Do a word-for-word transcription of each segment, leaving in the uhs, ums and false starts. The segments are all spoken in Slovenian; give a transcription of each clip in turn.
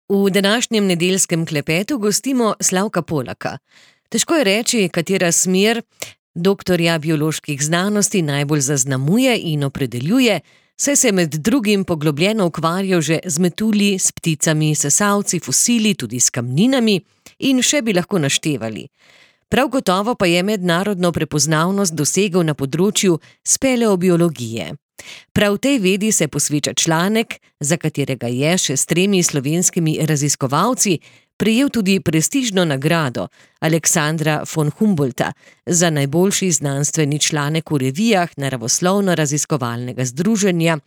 V današnjem nedeljskem klepetu gostimo Slavka Polaka. Težko je reči, katera smer doktorja bioloških znanosti najbolj zaznamuje in opredeljuje, saj se med drugim poglobljeno ukvarjal že z metulji, s pticami, sesalci, fosili, tudi s kamninami in še bi lahko naštevali. Prav gotovo pa je mednarodno prepoznavnost dosegel na področju speleobiologije. Prav tej vedi se posveča članek, za katerega je še s tremi slovenskimi raziskovalci prejel tudi prestižno nagrado Aleksandra von Humboldta za najboljši znanstveni članek v revijah Naravoslovno-raziskovalnega združenja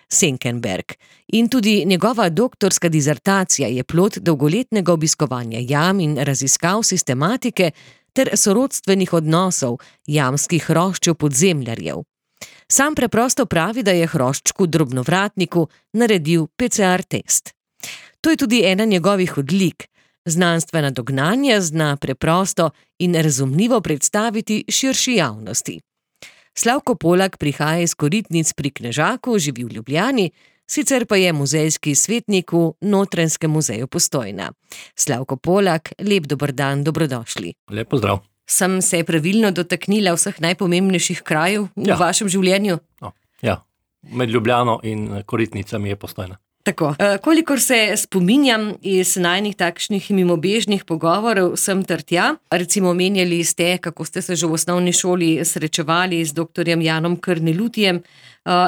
Senckenberg. In tudi njegova doktorska dizertacija je plod dolgoletnega obiskovanja jam in raziskav sistematike ter sorodstvenih odnosov jamskih hroščev podzemljarjev. Sam preprosto pravi, da je hroščku drobnovratniku naredil P C R test. To je tudi ena njegovih odlik. Znanstvena dognanja zna preprosto in razumljivo predstaviti širši javnosti. Slavko Polak prihaja iz Koritnic pri Knežaku, živi v Ljubljani, sicer pa je muzejski svetnik v Notranjskem muzeju Postojna. Slavko Polak, lep dober dan, dobrodošli. Lep pozdrav. Sem se pravilno dotaknila vseh najpomembnejših krajev v Ja. vašem življenju? No, ja, med Ljubljano in Koritnicami je Postojna. Tako. E, kolikor se spominjam iz najnih takšnih mimobežnih pogovorov sem ter tja, recimo omenjali ste, kako ste se že v osnovni šoli srečevali z doktorjem Janom Krnelutjem, e,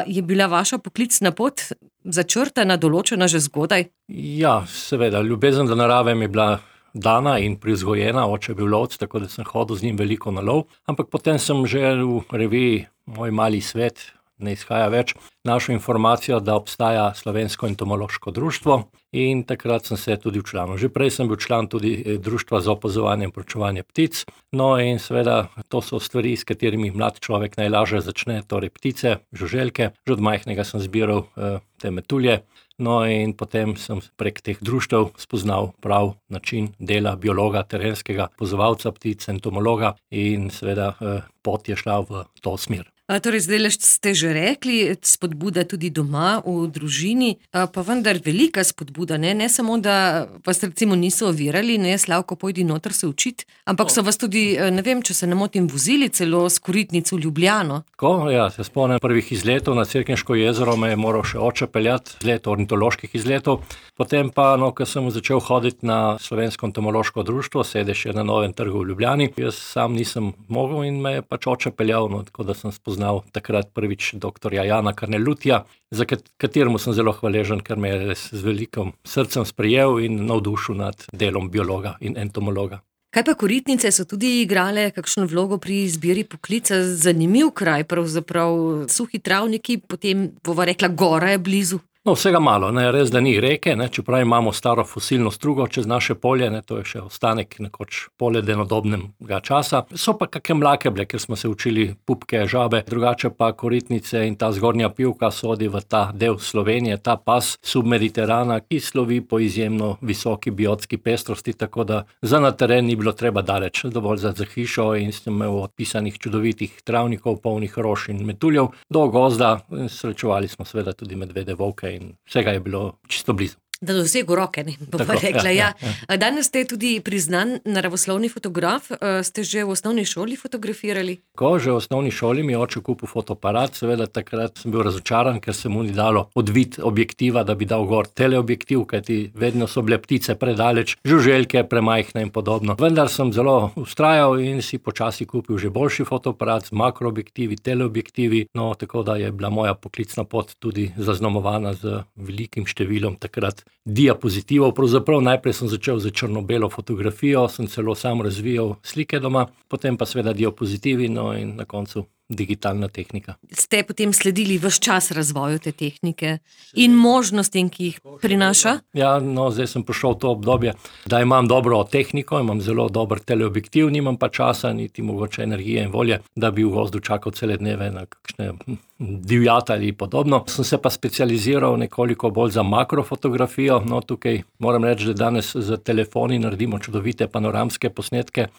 je bila vaša poklicna pot začrtana, določena že zgodaj? Ja, seveda, ljubezen do narave mi je bila dana in privzgojena, oče je bil lovec, tako da sem hodil z njim veliko na lov, ampak potem sem že v reviji Moj mali svet, ne izhaja več, našel informacijo, da obstaja Slovensko entomološko društvo in takrat sem se tudi včlanil. Že prej sem bil član tudi društva za opazovanje in proučevanje ptic, no in seveda to so stvari, s katerimi mlad človek najlažje začne, torej ptice, žuželke. Že od majhnega sem zbiral eh, te metulje, no in potem sem prek teh društev spoznal prav način dela biologa, terenskega opazovalca ptic, entomologa in seveda eh, pot je šla v to smer. A, torej, zdaj ste že rekli, spodbuda tudi doma, v družini, a, pa vendar velika spodbuda, ne? Ne samo, da vas recimo niso ovirali, ne, Slavko, pojdi noter se učiti, ampak so vas tudi, ne vem, če se ne motim, vozili celo s Koritnic v Ljubljano. Tako, ja, se spomnim prvih izletov na Cerkniško jezero, me je moral še oče peljati, izlet ornitoloških izletov, potem pa, no, ko sem začel hoditi na Slovensko entomološko društvo, sedež je na Novem trgu v Ljubljani, jaz sam nisem mogel in me je pač oče peljal, no, tako da sem spoznal takrat prvič doktorja Jana Krnelutja, za kateremu sem zelo hvaležen, ker me je z velikim srcem sprejel in navdušil nad delom biologa in entomologa. Kaj pa Koritnice so tudi igrale kakšno vlogo pri izbiri poklica? Zanimiv kraj, pravzaprav suhi travniki, potem bova rekla, gora je blizu. No, vsega malo, ne, res, da ni reke, ne, čeprav imamo staro fosilno strugo čez naše polje, ne, to je še ostanek nekoč poledenodobnega časa. So pa kakšne mlake bile, ker smo se učili pupke, žabe, drugače pa Koritnice in ta zgornja Pivka sodi v ta del Slovenije, ta pas submediterana, ki slovi po izjemno visoki biotski pestrosti, tako da za na teren ni bilo treba daleč, dovolj za, za hišo in sem imel odpisanih čudovitih travnikov, polnih rož in metuljev, do gozda, srečevali smo seveda tudi medvede, volke in vsega je bilo čisto blizu. Da dosegu roke, ne, bova rekla, ja. ja. Danes ste tudi priznan naravoslovni fotograf, ste že v osnovni šoli fotografirali? Ko že v osnovni šoli mi je oče kupil fotoaparat, seveda takrat sem bil razočaran, ker se mu ni dalo odvit objektiva, da bi dal gor teleobjektiv, kajti vedno so bile ptice predaleč, žuželke premajhne in podobno. Vendar sem zelo vztrajal in si počasi kupil že boljši fotoaparat z makroobjektivi, teleobjektivi, no tako da je bila moja poklicna pot tudi zaznamovana z velikim številom takrat diapozitivov. Pravzaprav najprej sem začel z črno-belo fotografijo, sem celo sam razvijal slike doma, potem pa seveda diapozitivi, no in na koncu digitalna tehnika. Ste potem sledili ves čas razvoju te tehnike in možnostim, ki jih prinaša? Ja, no, zdaj sem prišel v to obdobje, da imam dobro tehniko, imam zelo dober teleobjektiv, nimam pa časa, niti mogoče energije in volje, da bi v gozdu čakal cele dneve na kakšne divjata ali podobno. Sem se pa specializiral nekoliko bolj za makrofotografijo, no tukaj moram reči, da danes z telefoni naredimo čudovite panoramske posnetke,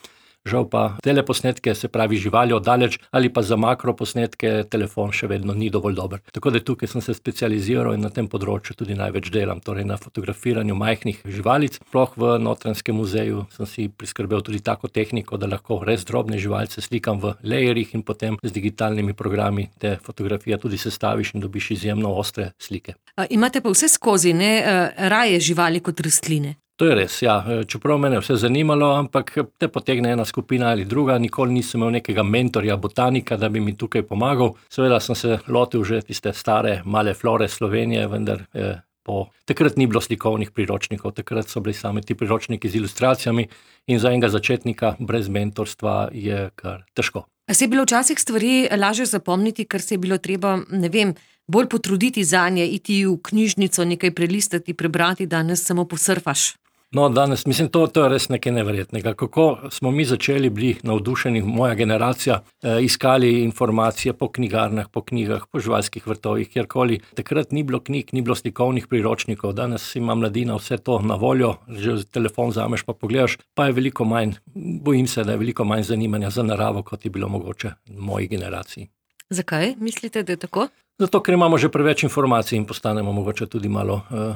žal pa teleposnetke, se pravi živali oddaleč, ali pa za makroposnetke telefon še vedno ni dovolj dober. Tako da tukaj sem se specializiral in na tem področju tudi največ delam, torej na fotografiranju majhnih živalic. Sploh v Notranjskem muzeju sem si priskrbel tudi tako tehniko, da lahko res drobne živalice slikam v layerjih in potem z digitalnimi programi te fotografije tudi sestaviš in dobiš izjemno ostre slike. A, imate pa vse skozi, ne, raje živali kot rastline? To je res, ja. Čeprav me je vse zanimalo, ampak te potegne ena skupina ali druga, nikoli nisem imel nekega mentorja, botanika, da bi mi tukaj pomagal. Seveda sem se lotil že tiste stare male flore Slovenije, vendar eh, po... takrat ni bilo slikovnih priročnikov, takrat so bili sami ti priročniki z ilustracijami in za enega začetnika brez mentorstva je kar težko. A se je bilo včasih stvari lažje zapomniti, ker se je bilo treba, ne vem, bolj potruditi zanje, iti v knjižnico, nekaj prelistati, prebrati, danes samo posurfaš? No, danes, mislim, to, to je res nekaj neverjetnega. Kako smo mi začeli bili navdušeni, moja generacija, eh, iskali informacije po knjigarnah, po knjigah, po živalskih vrtovih, kjerkoli. Takrat ni bilo knjig, ni bilo slikovnih priročnikov, danes ima mladina vse to na voljo, že telefon vzameš pa pogledaš, pa je veliko manj, bojim se, da je veliko manj zanimanja za naravo, kot je bilo mogoče v moji generaciji. Zakaj mislite, da je tako? Zato, ker imamo že preveč informacij in postanemo mogoče tudi malo uh,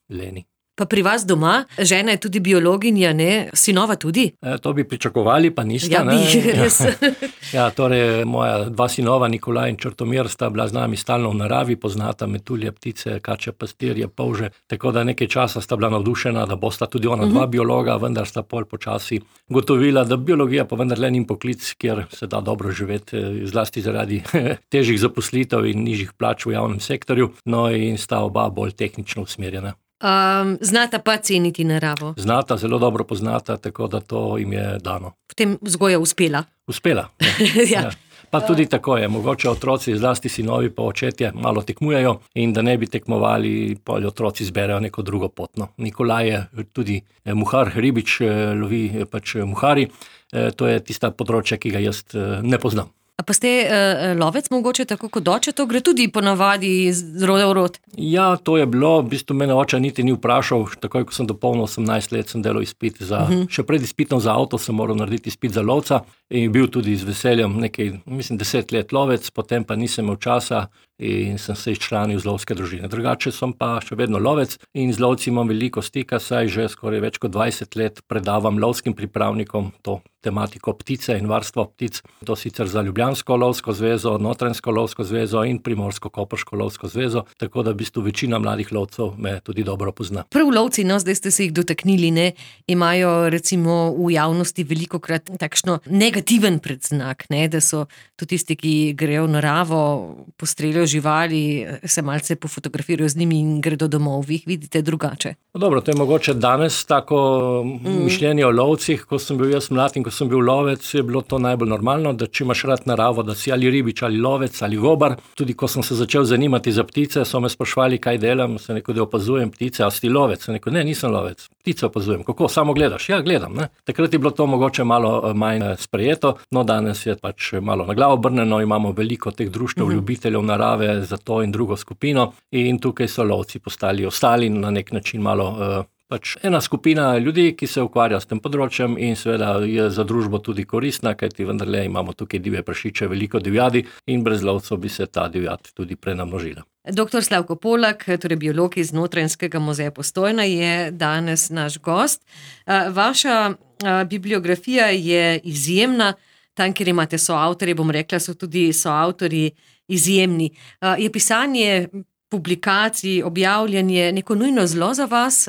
leni. Pa pri vas doma, žena je tudi biologinja, ne? Sinova tudi? E, to bi pričakovali, pa nista. Ja, bi, res. Ja, torej moja dva sinova, Nikolaj in Črtomir, sta bila z nami stalno v naravi, poznata metulje, ptice, kače, pastirje, polže, tako da nekaj časa sta bila navdušena, da bosta tudi ona dva uh-huh. biologa, vendar sta pol počasi gotovila, da biologija pa vendar le ni poklic, kjer se da dobro živeti, zlasti zaradi težjih zaposlitev in nižjih plač v javnem sektorju, no in sta oba bolj tehnično usmerjena. Um, znata pa ceniti naravo? Znata, zelo dobro poznata, tako da to jim je dano. Potem vzgoja uspela? Uspela, ja. Ja. Ja. Pa tudi tako je, mogoče otroci, zlasti sinovi pa očetje, malo tekmujejo in da ne bi tekmovali, pol otroci zberejo neko drugo pot. No. Nikolaj je tudi muhar, ribič, lovi pač muhari, to je tista področja, ki ga jaz ne poznam. A pa ste uh, lovec mogoče tako kot oče, to gre tudi ponavadi z roda v rod? Ja, to je bilo, v bistvu mene oče niti ni vprašal, takoj ko sem dopolnil osemnajst let, sem delal izpit za, uh-huh. še pred izpitom za avto sem moral narediti izpit za lovca in bil tudi z veseljem nekaj, mislim, deset let lovec, potem pa nisem imel časa in sem se izčlanil z lovske družine. Drugače sem pa še vedno lovec in z lovci imam veliko stika, saj že skoraj več kot dvajset let predavam lovskim pripravnikom to tematiko ptice in varstvo ptic. To sicer za Ljubljansko lovsko zvezo, Notranjsko lovsko zvezo in Primorsko-Koprško lovsko zvezo, tako da v bistvu večina mladih lovcev me tudi dobro pozna. Prav lovci, no, zdaj ste se jih dotaknili, ne, imajo recimo v javnosti velikokrat takšno negativen predznak, ne, da so tudi tisti, ki grejo v naravo, postreljajo živali, se malce pofotografirajo z njimi in gredo domov. Vi jih vidite drugače? No, dobro, to je mogoče danes tako mm. mišljenje o lovcih, ko sem bil jaz mlad in ko sem bil lovec, je bilo to najbolj normalno, da če imaš rad naravo, da si ali ribič, ali lovec, ali gobar. Tudi ko sem se začel zanimati za ptice, so me sprašvali, kaj delam, sem rekel, da opazujem ptice, a si lovec? Sem rekel, ne, nisem lovec, ptice opazujem. Kako, samo gledaš? Ja, gledam, ne. Takrat je bilo to mogoče malo manj sprejeto, no danes je pač malo na glavo obrnjeno, imamo veliko teh društev mm-hmm. ljubiteljev narave za to in drugo skupino in tukaj so lovci postali ostali na nek način malo uh, pač ena skupina ljudi, ki se ukvarja s tem področjem in seveda je za družbo tudi koristna, kajti vendarle imamo tukaj divje prašiče, veliko divjadi in brez lovcev bi se ta divjad tudi prenamnožila. Doktor Slavko Polak, torej biolog iz Notranjskega muzeja Postojna, je danes naš gost. Vaša bibliografija je izjemna, tam, kjer imate soavtorje, bom rekla, so tudi soavtorji izjemni. Je pisanje publikacij, objavljanje neko nujno zlo za vas,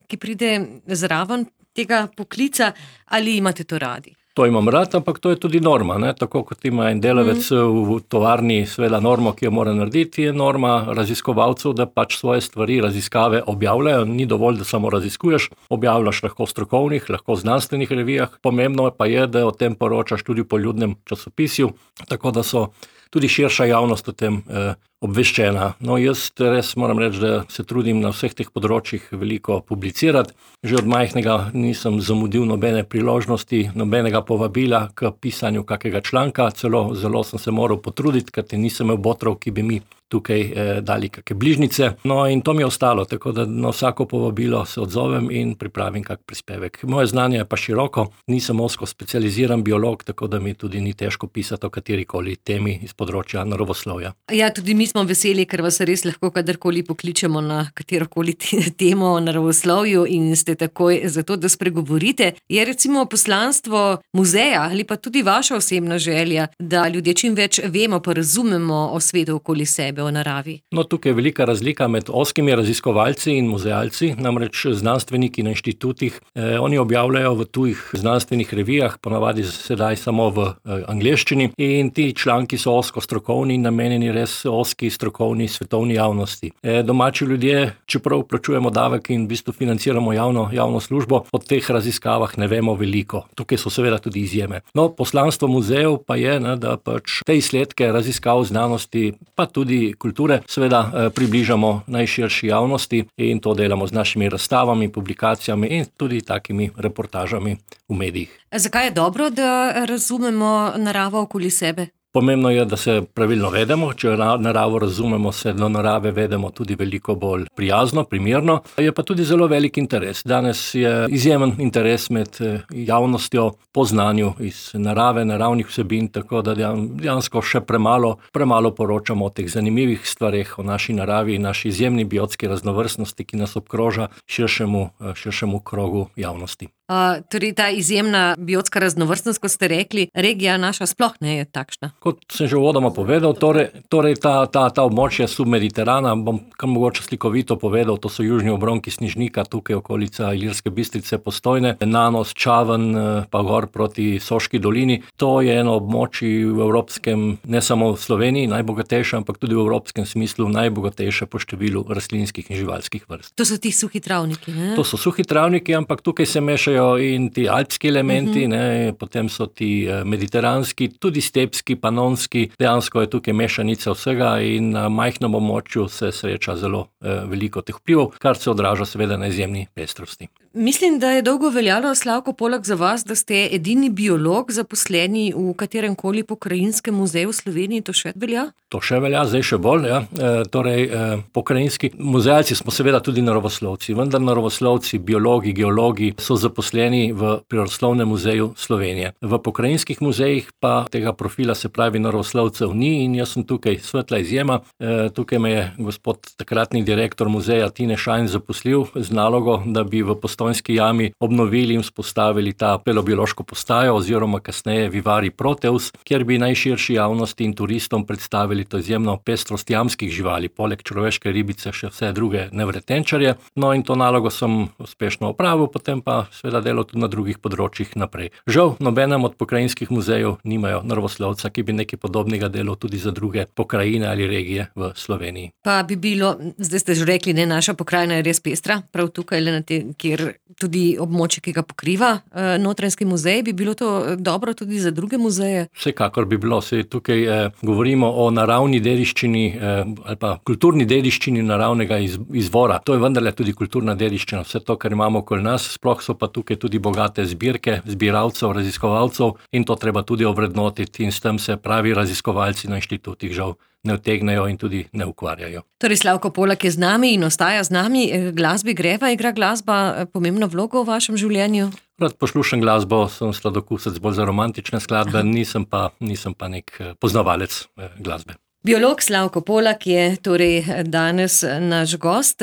ki pride zraven tega poklica, ali imate to radi? To imam rad, ampak to je tudi norma, ne? Tako kot ima en delavec mm. v tovarni sveda normo, ki jo mora narediti, je norma raziskovalcev, da pač svoje stvari, raziskave objavljajo, ni dovolj, da samo raziskuješ, objavljaš lahko v strokovnih, lahko v znanstvenih revijah, pomembno pa je, da o tem poročaš tudi v poljudnem časopisju, tako da so tudi širša javnost o tem eh, obveščena. No, jaz res moram reči, da se trudim na vseh teh področjih veliko publicirati. Že od majhnega nisem zamudil nobene priložnosti, nobenega povabila k pisanju kakega članka, celo zelo sem se moral potruditi, ker nisem imel botrov, ki bi mi tukaj eh, dali kakšne bližnjice. No, in to mi je ostalo, tako da na vsako povabilo se odzovem in pripravim kak prispevek. Moje znanje je pa široko, nisem ozko specializiran biolog, tako da mi tudi ni težko pisati o katerikoli temi iz področja naravoslovja. Ja, tudi mi smo veseli, ker vas res lahko kadarkoli pokličemo na katerokoli temo o naravoslovju in ste takoj za to, da spregovorite. Je recimo poslanstvo muzeja ali pa tudi vaša osebna želja, da ljudje čim več vemo pa razumemo o svetu okoli sebe, o naravi? No, tukaj je velika razlika med ozkimi raziskovalci in muzealci, namreč znanstveniki na inštitutih, eh, oni objavljajo v tujih znanstvenih revijah, ponavadi sedaj samo v eh, angleščini, in ti članki so ozko strokovni in namenjeni res ozki strokovni svetovni javnosti. Eh, domači ljudje, čeprav plačujemo davek in v bistvu financiramo javno, javno službo, o teh raziskavah ne vemo veliko. Tukaj so seveda tudi izjeme. No, poslanstvo muzejev pa je, ne, da pač te izsledke raziskav znanosti, pa tudi kulture, seveda približamo najširši javnosti in to delamo z našimi razstavami, publikacijami in tudi takimi reportažami v medijih. Zakaj je dobro, da razumemo naravo okoli sebe? Pomembno je, da se pravilno vedemo. Če naravo razumemo, se do narave vedemo tudi veliko bolj prijazno, primerno. Je pa tudi zelo velik interes. Danes je izjemen interes med javnostjo po znanju iz narave, naravnih vsebin, tako da dejansko še premalo, premalo poročamo o teh zanimivih stvareh, o naši naravi in naši izjemni biotski raznovrstnosti, ki nas obkroža širšemu, širšemu krogu javnosti. Uh, torej ta izjemna biotska raznovrstnost, kot ste rekli, regija naša sploh ne je takšna. Kot sem že uvodoma povedal, torej, torej ta, ta, ta območja submediterana, bom kar mogoče slikovito povedal, to so južni obronki Snežnika, tukaj okolica Ilirske Bistrice, Postojne, Nanos, Čaven, pa gor proti Soški dolini. To je eno območje v evropskem, ne samo v Sloveniji, najbogatejše, ampak tudi v evropskem smislu najbogatejše po številu rastlinskih in živalskih vrst. To so ti suhi travniki, ne? To so suhi travniki, ampak tukaj se mešajo in ti alpski elementi, uh-huh. ne, potem so ti mediteranski, tudi stepski, panonski, dejansko je tukaj mešanica vsega in na majhnem območju se sreča zelo eh, veliko teh vplivov, kar se odraža seveda na izjemni pestrosti. Mislim, da je dolgo veljalo, Slavko Polak, za vas, da ste edini biolog zaposleni v katerem koli pokrajinskem muzeju v Sloveniji, to še velja? To še velja, zdaj še bolj, ja. E, torej, e, pokrajinski muzealci smo seveda tudi naravoslovci, vendar naravoslovci, biologi, geologi so zaposleni v Prirodoslovnem muzeju Slovenije. V pokrajinskih muzejih pa tega profila, se pravi naravoslovcev, ni in jaz sem tukaj svetla izjema. E, tukaj me je gospod takratni direktor muzeja Tine Šajn zaposlil z nalogo, da bi v Postojnski jami obnovili in vzpostavili ta paleobiološko postajo oziroma kasneje Vivari Proteus, kjer bi najširši javnosti in turistom predstavili to izjemno pestrost jamskih živali, poleg človeške ribice še vse druge nevretenčarje. No in to nalogo sem uspešno opravil, potem pa seveda delal tudi na drugih področjih naprej. Žal, nobenem od pokrajinskih muzejev nimajo naravoslovca, ki bi nekaj podobnega delal tudi za druge pokrajine ali regije v Sloveniji. Pa bi bilo, zdaj ste že rekli, ne, naša pokrajina je res pestra, prav tukaj, le na te, kjer tudi območje, ki ga pokriva eh, Notranjski muzej, bi bilo to dobro tudi za druge muzeje? Vsekakor bi bilo, se tukaj eh, govorimo o naravni dediščini eh, ali pa kulturni dediščini naravnega iz, izvora. To je vendarle tudi kulturna dediščina, vse to, kar imamo okoli nas, sploh so pa tukaj tudi bogate zbirke, zbiralcev, raziskovalcev in to treba tudi ovrednotiti in s tem se pravi raziskovalci na inštitutih žal ne utegnejo in tudi ne ukvarjajo. Torej, Slavko Polak je z nami in ostaja z nami. Glasbi greva, igra glasba pomembno vlogo v vašem življenju? Rad poslušam glasbo, sem sladokusec bolj za romantične skladbe, nisem pa, nisem pa nek poznavalec glasbe. Biolog Slavko Polak je torej danes naš gost.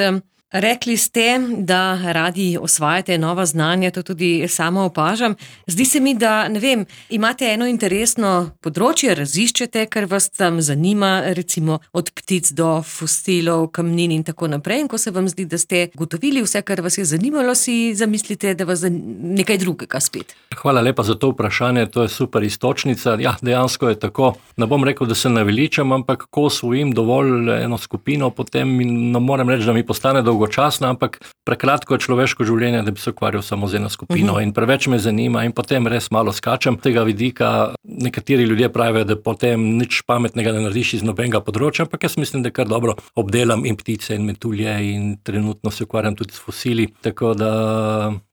Rekli ste, da radi osvajate nova znanja, to tudi sama opažam. Zdi se mi, da, ne vem, imate eno interesno področje, raziščete, kar vas tam zanima, recimo od ptic do fosilov, kamnin in tako naprej. In ko se vam zdi, da ste gotovili vse, kar vas je zanimalo, si zamislite, da vas zanima nekaj drugega spet. Hvala lepa za to vprašanje, to je super iztočnica. Ja, dejansko je tako. Ne bom rekel, da se naveličam, ampak ko osvojim dovolj eno skupino, potem ne morem reči, da mi postane dolgo dolgočasna, ampak prekratko je človeško življenje, da bi se ukvarjal samo z eno skupino uh-huh. in preveč me zanima in potem res malo skačem tega vidika. Nekateri ljudje pravijo, da potem nič pametnega ne narediš iz nobenega področja, ampak jaz mislim, da kar dobro obdelam in ptice in metulje in trenutno se ukvarjam tudi s fosili, tako da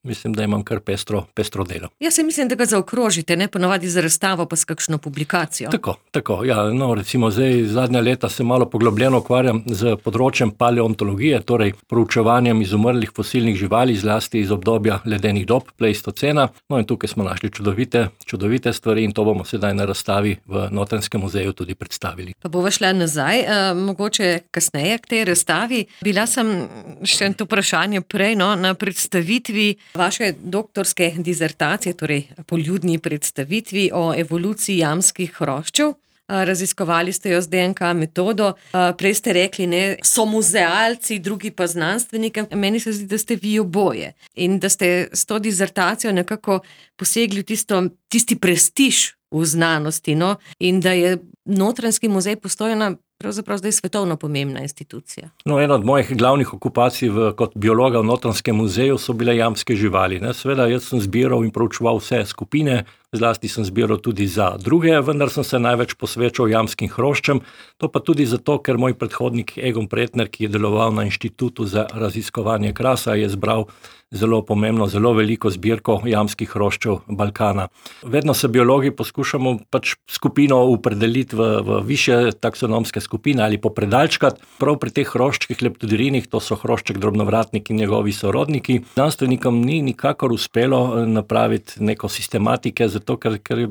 mislim, da imam kar pestro, pestro delo. Jaz se mislim, da ga zaokrožite, ne ponavadi za razstavo pa s kakšno publikacijo. Tako, tako, ja, no recimo zdaj zadnja leta se malo poglobljeno ukvarjam z področjem paleontologije, torej proučevanjem izumrlih fosilnih živali, zlasti iz obdobja ledenih dob, pleistocena. No in tukaj smo našli čudovite, čudovite stvari in to bomo sedaj na razstavi v Notranjskem muzeju tudi predstavili. Pa bova šla nazaj, eh, mogoče kasneje k tej razstavi. Bila sem še to vprašanje prej, no, na predstavitvi vaše doktorske dizertacije, torej poljudni predstavitvi o evoluciji jamskih hroščev. Raziskovali ste jo z D N K metodo. Prej ste rekli, ne, so muzealci, drugi pa znanstveniki. Meni se zdi, da ste vi oboje in da ste s to dizertacijo nekako posegli v tisto, tisti prestiž v znanosti, no, in da je Notranjski muzej Postojna pravzaprav zdaj svetovno pomembna institucija. No, ena od mojih glavnih okupacij v, kot biologa v Notranjskem muzeju so bile jamske živali. Ne. Seveda, jaz sem zbiral in proučeval vse skupine, zlasti sem zbiral tudi za druge, vendar sem se največ posvečal jamskim hroščem. To pa tudi zato, ker moj predhodnik Egon Pretner, ki je deloval na Inštitutu za raziskovanje krasa, je zbral zelo pomembno, zelo veliko zbirko jamskih hroščev Balkana. Vedno se biologi poskušamo pač skupino opredeliti v, v višje taksonomske skupine ali popredalčkati. Prav pri teh hroščkih leptodirinih, to so hrošček drobnovratnik in njegovi sorodniki, znanstvenikom ni nikakor uspelo napraviti neko sistematike, zato ker, ker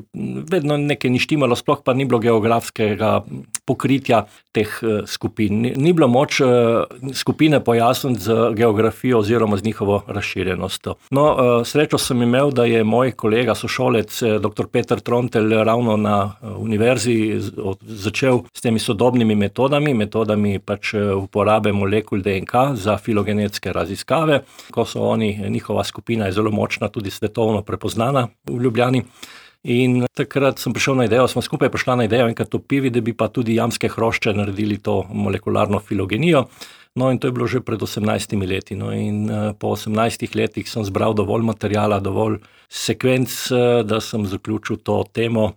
vedno nekaj ni štimalo, sploh pa ni bilo geografskega pokritja teh skupin. Ni, ni bilo moč skupine pojasniti z geografijo oziroma z njihovo razširjenostjo. No, srečo sem imel, da je moj kolega, sošolec, doktor Peter Trontelj, ravno na univerzi začel s temi sodobnimi metodami, metodami pač uporabe molekul D N K za filogenetske raziskave. Ko so oni, njihova skupina je zelo močna, tudi svetovno prepoznana v Ljubljani. In takrat sem prišel na idejo, smo skupaj prišla na idejo enkrat v Pivi, da bi pa tudi jamske hrošče naredili to molekularno filogenijo. No in to je bilo že pred osemnajstimi leti. No in po osemnajstih letih sem zbral dovolj materijala, dovolj sekvenc, da sem zaključil to temo,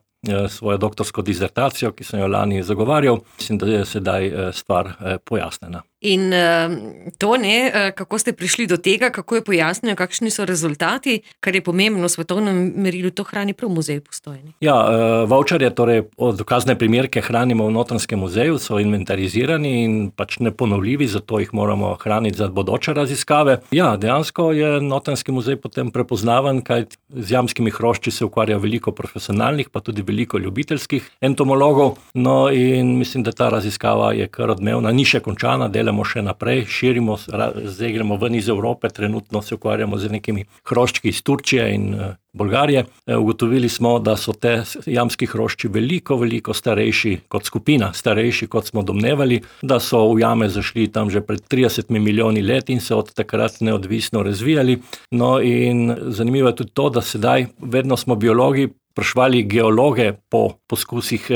svojo doktorsko dizertacijo, ki sem jo lani zagovarjal. Mislim, da je sedaj stvar pojasnjena. In uh, to ne, kako ste prišli do tega, kako je pojasnjeno, kakšni so rezultati, kar je pomembno v svetovnem merilu, to hrani prav muzej Postojni. Ja, uh, voucherje, torej dokazne primerke hranimo v Notranjskem muzeju, so inventarizirani in pač neponovljivi, zato jih moramo hraniti za bodoče raziskave. Ja, dejansko je Notranjski muzej potem prepoznaven, kaj z jamskimi hrošči se ukvarja veliko profesionalnih, pa tudi veliko ljubiteljskih entomologov. No in mislim, da ta raziskava je kar odmevna, ni še končana, delamo še naprej, širimo, zdaj gremo ven iz Evrope, trenutno se ukvarjamo z nekimi hroščki iz Turčije in Bolgarije. Ugotovili smo, da so te jamski hrošči veliko, veliko starejši kot skupina, starejši kot smo domnevali, da so v jame zašli tam že pred tridesetimi milijoni let in se od takrat neodvisno razvijali. No in zanimivo je tudi to, da sedaj vedno smo biologi spraševali geologe po poskusih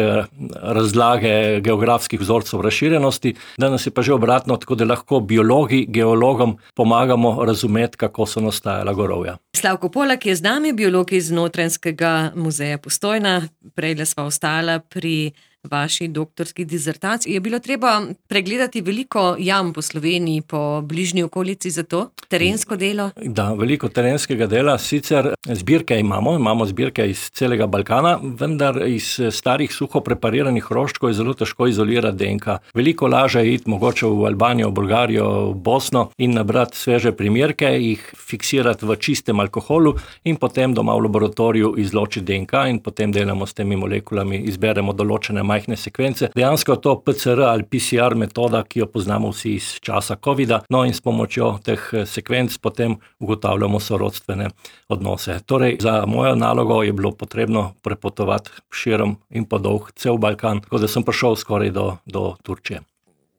razlage geografskih vzorcev razširjenosti, danes je pa že obratno, tako da lahko biologi geologom pomagamo razumeti, kako so nastajala gorovja. Slavko Polak je z nami, biolog iz Notranjskega muzeja Postojna. Prejle sva ostala pri vaši doktorski dizertaciji. Je bilo treba pregledati veliko jam po Sloveniji, po bližnji okolici za to? Terensko delo? Da, veliko terenskega dela. Sicer zbirke imamo, imamo zbirke iz celega Balkana, vendar iz starih suho prepariranih hroščkov je zelo težko izolirati D N K. Veliko laže je iti mogoče v Albanijo, v Bolgarijo, v Bosno in nabrati sveže primerke, jih fiksirati v čistem alkoholu in potem doma v laboratoriju izločiti D N K in potem delamo s temi molekulami, izberemo določene majhne sekvence. Dejansko je to P C R ali P C R metoda, ki jo poznamo vsi iz časa covida, no in s pomočjo teh sekvenc potem ugotavljamo sorodstvene odnose. Torej, za mojo nalogo je bilo potrebno prepotovati širom in podolg cel Balkan, tako da sem prišel skoraj do, do Turčije.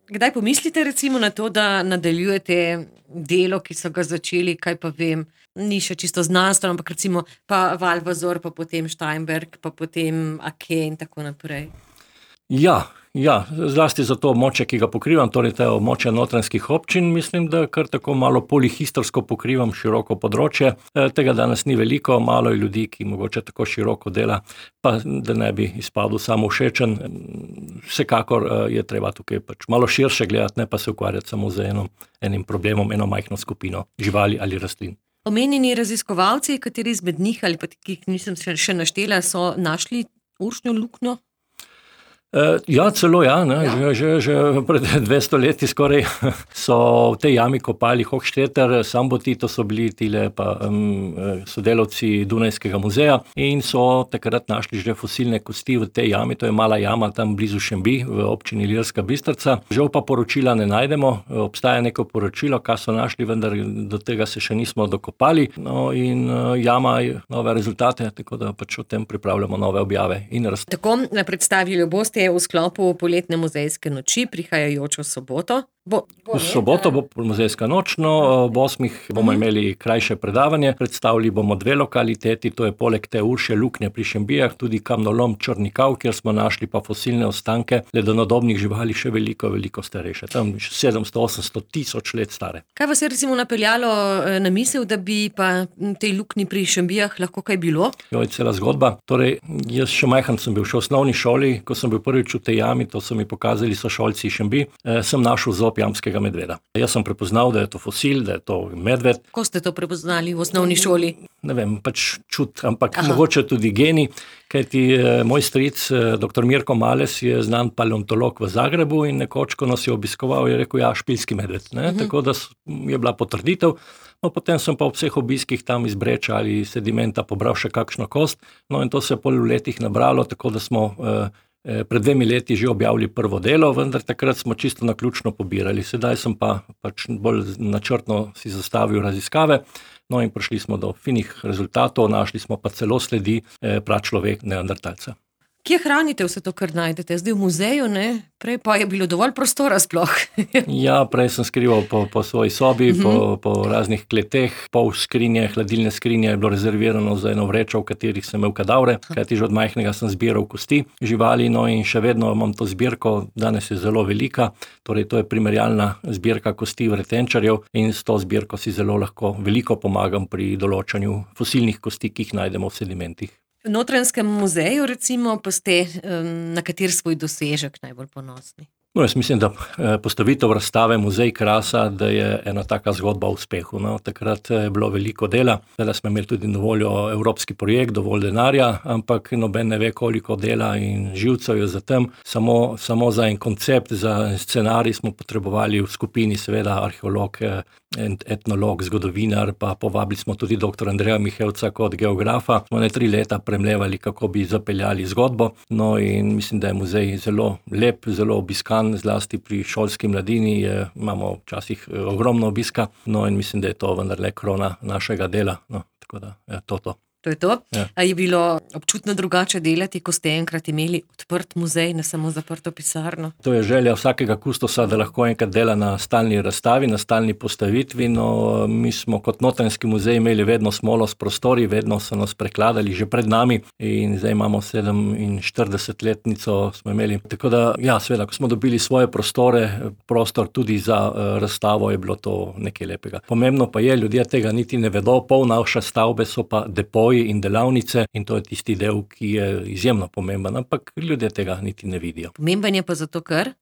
Kdaj pomislite recimo na to, da nadaljujete delo, ki so ga začeli, kaj pa vem, ni še čisto znanstveno, ampak recimo pa Valvazor, pa potem Steinberg, pa potem Ake in tako naprej? Ja, ja, zlasti za to območje, ki ga pokrivam, torej to območje notranjskih občin, mislim, da kar tako malo polihistorsko pokrivam široko področje. E, tega danes ni veliko, malo je ljudi, ki mogoče tako široko dela, pa da ne bi izpadel samo všečen. Vsekakor je treba tukaj pač malo širše gledati, ne pa se ukvarjati samo z eno, enim problemom, eno majhno skupino živali ali rastlin. Omenjeni raziskovalci, kateri izmed njih ali pa ki jih nisem še naštela, so našli uršno luknjo? Ja, celo ja, ne, ja. Že, že, že pred dvesto leti skoraj so v tej jami kopali Hochstetter, Samboti, to so bili tile pa um, sodelavci Dunajskega muzeja in so takrat našli že fosilne kosti v tej jami, to je mala jama tam blizu Šembi v občini Ilirska Bistrica. Žal pa poročila ne najdemo, obstaja neko poročilo, kaj so našli, vendar do tega se še nismo dokopali. No in jama je nove rezultate, tako da pač o tem pripravljamo nove objave in rast. Tako predstavili boste v sklopu poletne muzejske noči prihajajočo soboto. Bo, bo v soboto bo muzejska noč, no ob osmih bomo uh-huh. imeli krajše predavanje, predstavili bomo dve lokaliteti, to je poleg te uršje luknje pri Šembijah, tudi kamnolom Črnikav, kjer smo našli pa fosilne ostanke ledenodobnih živali še veliko, veliko starejše, tam sedemsto, osemsto tisoč let stare. Kaj vas je recimo napeljalo na misel, da bi pa tej luknji pri Šembijah lahko kaj bilo? Jo, je cela zgodba. Torej, jaz še majhen sem bil še v osnovni šoli, ko sem bil prvič v tej jami, to so mi pokazali sošolci Šembi, eh, sem našel zob jamskega medveda. Jaz sem prepoznal, da je to fosil, da je to medved. Ko ste to prepoznali v osnovni šoli? Ne vem, pač čut, ampak Aha. mogoče tudi geni, kajti eh, moj stric, eh, doktor Mirko Males, je znan paleontolog v Zagrebu in nekoč, ko nas je obiskoval, je rekel, ja, špilski medved. Ne? Uh-huh. Tako da je bila potrditev. No, potem sem pa v vseh obiskih tam iz breča ali sedimenta pobral še kakšno kost, no in to se je pol v letih nabralo, tako da smo eh, pred dvemi leti že objavili prvo delo, vendar takrat smo čisto naključno pobirali. Sedaj sem pa pač bolj načrtno si zastavil raziskave, no in prišli smo do finih rezultatov, našli smo pa celo sledi eh, pračlovek neandertalca. Kje hranite vse to, kar najdete? Zdaj v muzeju, ne? Prej pa je bilo dovolj prostora sploh. Ja, prej sem skrival po, po svoji sobi, uh-huh. po, po raznih kleteh, pol skrinje, hladilne skrinje je bilo rezervirano za eno vrečo, v katerih sem imel kadavre, kajti že od majhnega sem zbiral kosti živali, no in še vedno imam to zbirko, danes je zelo velika, torej to je primerjalna zbirka kosti vretenčarjev in s to zbirko si zelo lahko veliko pomagam pri določanju fosilnih kosti, ki jih najdemo v sedimentih. V Notranjskem muzeju recimo pa ste um, na kateri svoj dosežek najbolj ponosni? No, jaz mislim, da postavitev razstave Muzej krasa, da je ena taka zgodba o uspehu. No, takrat je bilo veliko dela, zdaj smo imeli tudi na voljo evropski projekt, dovolj denarja, ampak noben ne ve, koliko dela in živcev je za tem. Samo, samo za en koncept, za scenarij smo potrebovali v skupini, seveda arheolog, etnolog, zgodovinar, pa povabili smo tudi doktor Andreja Mihevca kot geografa. Smo ne tri leta premlevali, kako bi zapeljali zgodbo. No in mislim, da je muzej zelo lep, zelo obiskan, zlasti pri šolski mladini je, imamo včasih ogromno obiska, no in mislim, da je to vendarle krona našega dela. No, tako da je to to. To je to. Ja. A je bilo občutno drugače delati, ko ste enkrat imeli odprt muzej, ne samo zaprto pisarno? To je želja vsakega kustosa, da lahko enkrat dela na stalni razstavi, na stalni postavitvi. No, mi smo kot Notranjski muzej imeli vedno smolo s prostori, vedno so nas prekladali že pred nami in zdaj imamo sedeminštiridesetletnico smo imeli. Tako da, ja, seveda, ko smo dobili svoje prostore, prostor tudi za uh, razstavo, je bilo to nekaj lepega. Pomembno pa je, ljudje tega niti ne vedo, pol naše stavbe so pa depoji in delavnice in to je tisti del, ki je izjemno pomemben, ampak ljudje tega niti ne vidijo. Pomemben je pa zato, ker?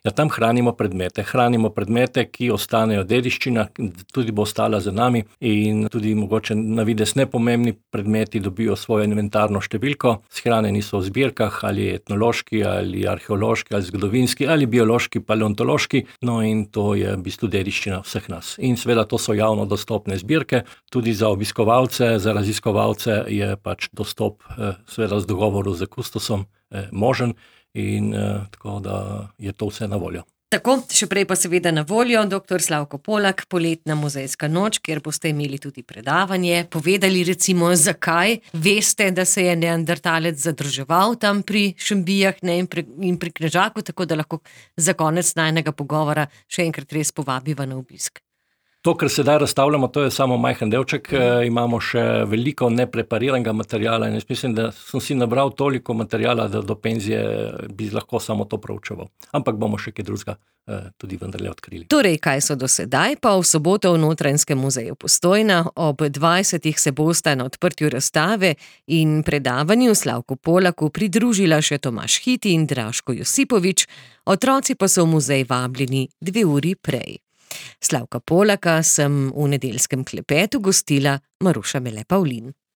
Ja, tam hranimo predmete, hranimo predmete, ki ostanejo dediščina, tudi bo ostala za nami in tudi mogoče na vides nepomembni predmeti dobijo svojo inventarno številko, shranjeni so v zbirkah, ali etnološki, ali arheološki, ali zgodovinski, ali biološki, paleontološki, no in to je v bistvu dediščina vseh nas. In seveda to so javno dostopne zbirke, tudi za obiskovalce, za raziskovalce je pač dostop seveda z dogovoru z kustosom možen. In eh, tako da je to vse na voljo. Tako, še prej pa seveda na voljo doktor Slavko Polak, poletna muzejska noč, kjer boste imeli tudi predavanje, povedali recimo, zakaj veste, da se je neandertalec zadrževal tam pri Šembijah, ne, in, pri, in pri Knežaku, tako da lahko za konec najnega pogovora še enkrat res povabiva na obisk. To, kar sedaj razstavljamo, to je samo majhen delček, e, imamo še veliko neprepariranega materiala in jaz mislim, da sem si nabral toliko materijala, da do penzije bi lahko samo to proučeval. Ampak bomo še kaj drugega e, tudi vendarle odkrili. Torej, kaj so do sedaj, pa v soboto v Notranjskem muzeju Postojna ob dvajsetih se bosta na odprtju razstave in predavanju Slavku Polaku pridružila še Tomaž Hiti in Draško Josipovič, otroci pa so v muzej vabljeni dve uri prej. Slavka Polaka sem v nedeljskem klepetu gostila Maruša Mele Pavlin.